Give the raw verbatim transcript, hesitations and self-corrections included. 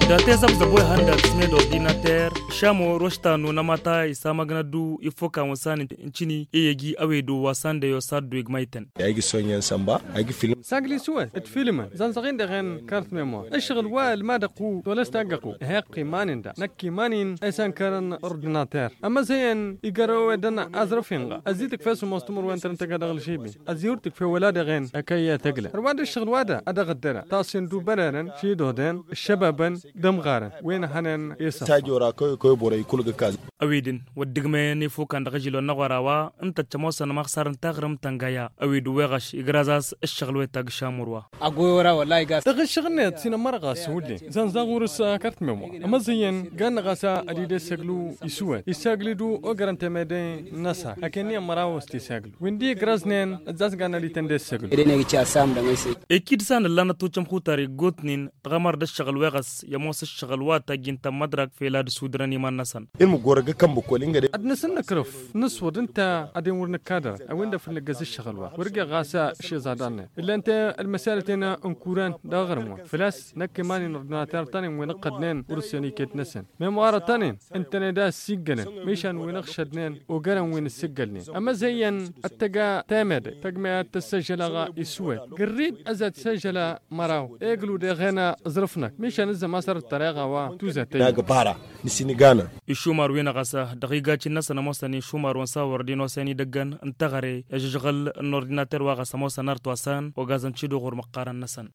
Datezăb zăbo ihăndăt smed ordinater. Šamo roštanu n-amata isamăgnădu ifoka wănsan n-cini i-egi awedu wa sandăyo saddu igmaytăn. Agi sonya n-samba agi film. Sagli suwăt d-filmăn zănzăɣin dăɣ-en kart memor. Ǝššăɣǝl wa ălmadăɣ-ku tolăs taggăɣ-ku heqq iman-in da năkk iman-in. Esănkărăn ordinater ămăzăyăn igărăwedăn azrăf-in-ɣa ăzzi tǝkfe s-ămoos timǝrwen tărăn tăgg-edăɣ ălžibin. Ăzzi wăr tǝkfe wăla dăɣ-en ăkăyy tăgla ărwa d-ǝššăɣǝl wa da ad-dăɣ-ăddăra taṣṣin d-ubărărăn šidodăn ăššăbabăn d-ămɣarăn. Wen hănen i-săf. Tajora kăwăy kăwăy borăy kul gǝkaz. Ăwidǝn wăr dd-ǝgmăyăn ifukan dăɣ-ažilon n-aɣora wa ǝnta d-tămoosăn măɣsar n-taɣrǝmt tăngaya. Ăwid uweɣăš igrăzas ǝššăɣǝl wetag šamur wa. Agoyora wălay gas. Dăɣ-ǝššăɣǝl-net s-inămmărăɣ ɣas wǝllen zănzăɣ wăr-s kărtmem wa ămăẓǝyyăn gan-năɣ a-s ad-dd-esăglu isǝwwed isagli-du ogărăn temede-năsăn. Aken-ni ămmăraw s-t-isaglu wi n-dd-igrăznen ǝzzas gan ad-ităn-dd-esăglu. Ekid s-a nǝllanăt tučăm xutar iggutnin tɣămăr d-ǝššăɣǝl weɣăs i-ămoos ǝššăɣǝl wa tăjjin tămmădrak fel ad-sudrăn iman-năsăn. Ilmǝggorăg ǝkkăn băkkol ingăde. Ad-nǝsǝnnǝkrǝf nǝswăḍ ǝnta ad-en wăr nǝkkadăr a-wen-dăɣ făl nǝggăz ǝššăɣǝl wa wăr geɣ ɣas išiẓadăn-net ǝllan-te ălmăsalăten n-kuran dăɣ-aɣrǝm wa făl-a-s năkk iman-in ordinater-tăn-in wi n-ǝqqădnen wăr-ǝssen iket-năsăn. Memɣarăt-tăn-in ǝntăne da ăssiggălăn mišan wi n-ăɣšădnen ogărăn wi n-ǝssǝggălnen ămăzăyyăn ad-tăgg temede tăgg meyăt tăssăžălăɣ iswed gǝrrid ăzăt săžălă măraw eglu deɣen ǝẓrǝf-năk mišan ǝzzăm a-s ărǝttăr eɣa wa tuzăt. Nagăbara n-siniganăn. Išumar-wi-năɣ ɣas dăɣ-igacin-năsăn ămoosăn išumar-wăn s-a wăr dd-inosen idăggăn n-teɣăre i-ažǝžɣǝl n-ordinater wa ɣas ămoosăn arăt wa s-an ogazăn tiduɣur măqqarăn-năsăn.